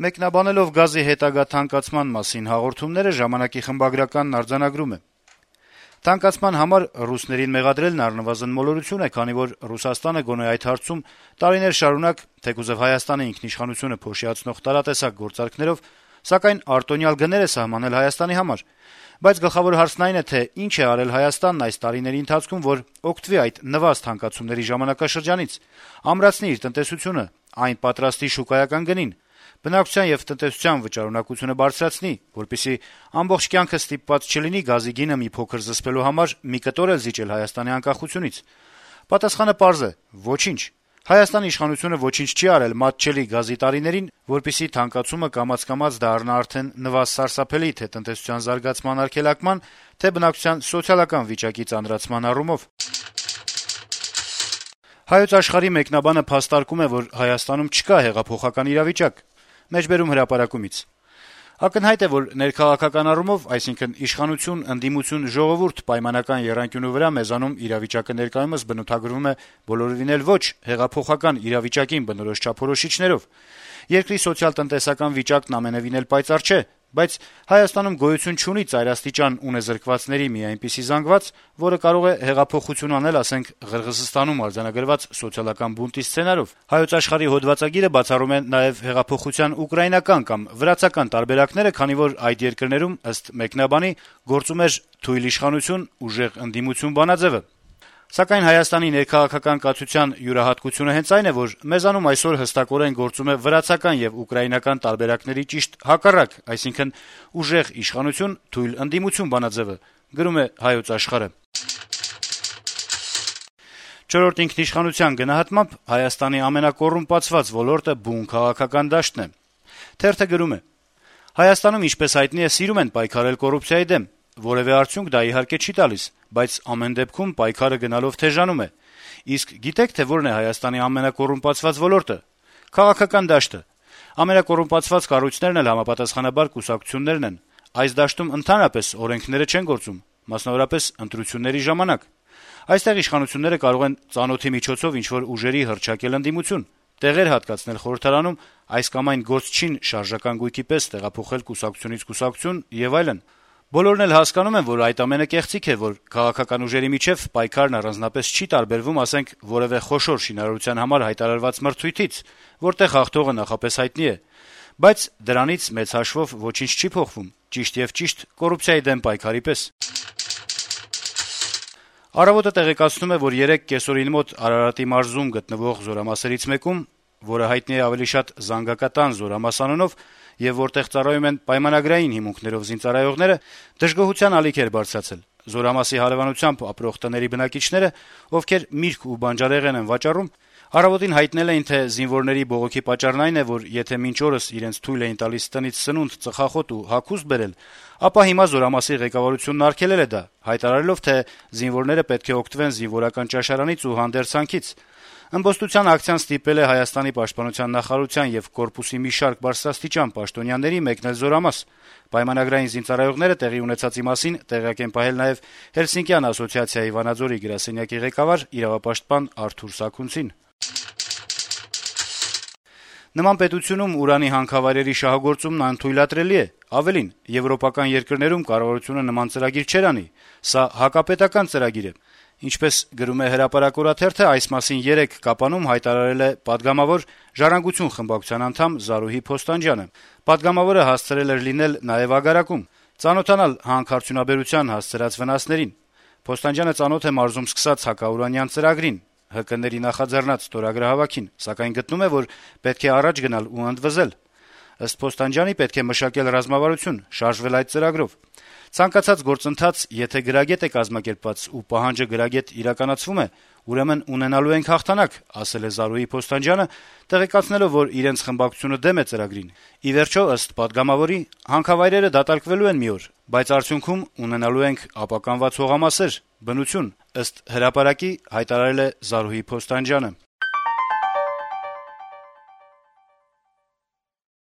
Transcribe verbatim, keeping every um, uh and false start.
Մեկնաբանելով գազի հետագա թանկացման մասին հաղորդումները «Ժամանակ»-ի խմբագրականն արձանագրում է. - «Թանկացման համար ռուսներին մեղադրելն առնվազն մոլորություն է, քանի որ Ռուսաստանը գոնե այդ հարցում տարիներ շարունակ, թեկուզեւ Հայաստանի ինքնիշխանությունը փոշիացնող տարատեսակ գործարքներով, սակայն արտոնյալ գներ է սահմանել Հայաստանի համար: Բայց գլխավոր հարցն այն է, թե ինչ է արել Հայաստանն այս տարիների ընթացքում, որ օգտվի այդ նվազ թանկացումների ժամանակաշրջանից, ամրացնի իր տնտեսությունը, այն պատրաստի շուկայական գնին, բնակչության եւ տնտեսության վճարունակությունը բարձրացնի, որպեսզի ամբողջ կյանքը ստիպված չլինի գազի գինը մի փոքր զսպելու համար մի կտոր էլ զիջել Հայաստանի անկախությունից: Պատասխանը պարզ է՝ ոչինչ: Հայաստանի իշխանությունը ոչինչ չի արել մատչելի գազի տարիներին, որպեսզի թանկացումը կամաց-կամաց դառնա արդեն նվազ սարսափելի թե տնտեսության զարգացման արգելակման, թե բնակչության սոցիալական վիճակի ծանրացման առումով»: «Հայոց Աշխարհ»-ի մեկնաբանը փաստարկում է, որ Հայաստանում չկա հեղափոխական իրավիճակ. - «Ակնհայտ է, որ ներքաղաքական առումով, այսինքն իշխանություն, ընդդիմություն, ժողովուրդ պայմանական եռանկյունու վրա մեզանում իրավիճակը ներկայումս բնութագրվում է բոլորովին էլ ոչ հեղափոխական իրավիճակին բնորոշ չափորոշիչներով: Երկրի սոցիալ-տնտեսական վիճակն ամենեւին էլ պայծառ չէ, բայց Հայաստանում գոյություն չունի ծայրաստիճան ունեզրկվածների մի այնպիսի զանգված, որը կարող է հեղափոխություն անել, ասենք, Ղրղըզստանում արձանագրված սոցիալական բունտի սցենարով: «Հայոց Աշխարհ»-ի հոդվածագիրը բացառում է նաեւ հեղափոխության ուկրաինական կամ վրացական տարբերակները, քանի որ այդ երկրներում, ըստ մեկնաբանի, գործում էր թույլ իշխանություն, ուժեղ ընդդիմություն բանաձեւը: Սակայն Հայաստանի ներքաղաքական կացության յուրահատկությունը հենց այն է, որ մեզանում այսօր հստակորեն գործում է վրացական եւ ուկրաինական տարբերակների ճիշտ հակառակ, այսինքն ուժեղ իշխանություն, թույլ ընդդիմություն բանաձեւը»: «Չորրորդ ինքնիշխանության» գնահատմամբ Հայաստանի ամենակոռումպացված ոլորտը բուն քաղաքական դաշտն է: Թերթը գրում է. - «Հայաստանում, ինչպես հայտնի է, սիրում են պայքարել կոռուպցիայի դեմ: Որեւէ արդյունք դա, իհարկե, չի տալիս, բայց ամեն դեպքում պայքարը գնալով թեժանում է: Իսկ գիտե՞ք, թե որն է Հայաստանի ամենակոռումպացված ոլորտը: Քաղաքական դաշտը: Ամենակոռումպացված կառույցներն էլ համապատասխանաբար կուսակցություններն են: Այս դաշտում ընդհանրապես օրենքները չեն գործում, մասնավորապես ընտրությունների ժամանակ: Այստեղ իշխանությունները կարող են ծանոթի միջոցով ինչ-որ ուժերի հռչակել ընդդիմություն, տեղեր հատկացնել խորհրդարանում, այս կամ այն գործչին շարժական գույքի պես տեղափոխել կուսակցությունից կուսակցություն եւ այլն: Բոլորն էլ հասկանում են, որ այդ ամենը կեղծիք է, որ քաղաքական ուժերի միջեւ պայքարն առանձնապես չի տարբերվում, ասենք, որեւէ խոշոր շինարարության համար հայտարարված մրցույթից, որտեղ հաղթողը նախապես հայտնի է: Բայց դրանից մեծ հաշվով ոչինչ չի փոխվում, ճիշտ եւ ճիշտ կոռուպցիայի դեմ պայքարի պես»: «Առավոտ»-ը տեղեկացնում է, որ երեկ կեսօրին մոտ Արարատի մարզում գտնվող զորամասերից մեկում, որը հայտնի է ավելի շատ Զանգակատան զորամաս անունով եւ որտեղ ծառայում են պայմանագրային հիմունքներով զինծառայողները, դժգոհության ալիք էր բարձրացել: Զորամասի հարեւանությամբ ապրող տների բնակիչները, ովքեր միրգ ու բանջարեղեն են վաճառում, «Առավոտ»-ին հայտնել էին, թե զինվորների բողոքի պատճառն այն է, որ եթե մինչ օրս իրենց թույլ էին տալիս տնից սնունդ, ծխախոտ ու հագուստ բերել, ապա հիմա զորամասի ղեկավարությունն արգելել է դա` հայտարարելով, թե զինվորները պետք է օգտվեն զինվորական ճաշարանից ու հանդերձանքից: Ըմբոստության ակցիան ստիպել է Հայաստանի պաշտպանության նախարարության եւ կորպուսի մի շարք բարձրաստիճան պաշտոնյաների մեկնել զորամաս: Պայմանագրային զինծառայողները տեղի ունեցածի մասին տեղյակ են պահել նաեւ Հելսինկյան ասոցիացիայի Վանաձորի գրասենյակի ղեկավար, իրավապաշտպան Արթուր Սաքունցին: Նման պետությունում ուրանի հանքավայրերի շահագործումն անթույլատրելի է: Ավելին, եվրոպական երկրներում կառավարությունը նման ծրագիր չէր անի: Սա հակապետական ծրագիր է: Ինչպես գրում է «Հրապարակ» օրաթերթը, այս մասին երեկ Կապանում հայտարարել է պատգամավոր, «Ժառանգություն» խմբակցության անդամ Զարուհի Փոստանջյանը: Պատգամավորը հասցրել էր լինել նաեւ Ագարակում, ծանոթանալ հանքարդյունաբերության հասցրած վնասներին: Փոստանջյանը ծանոթ է մարզում սկսած հակաուրանյան ծրագրին, ՀԿ-ների նախաձեռնած ստորագրահավաքին, սակայն գտնում է, որ պետք է առաջ գնալ ու ընդվզել: Ըստ Փոստանջյանի, պետք է մշակել ռազմավարություն, շարժվել այդ ծրագրով: Ցանկացած գործընթաց, եթե գրագետ է կազմակերպված ու պահանջը գրագետ իրականացվում է, ուրեմն ունենալու ենք հաղթանակ, ասել է Զարուհի Փոստանջյանը, տեղեկացնելով, որ իրենց խմբակցությունը դեմ է ծրագրին: Ի վերջո, ըստ պատգամավորի, հանքավայրերը դատարկվելու են մի օր, բայց արդյունքում ունենալու ենք ապականված հողամասեր, բնություն, ըստ «Հրապարակ»-ի հայտարարել է Զարուհի Փոստանջյանը: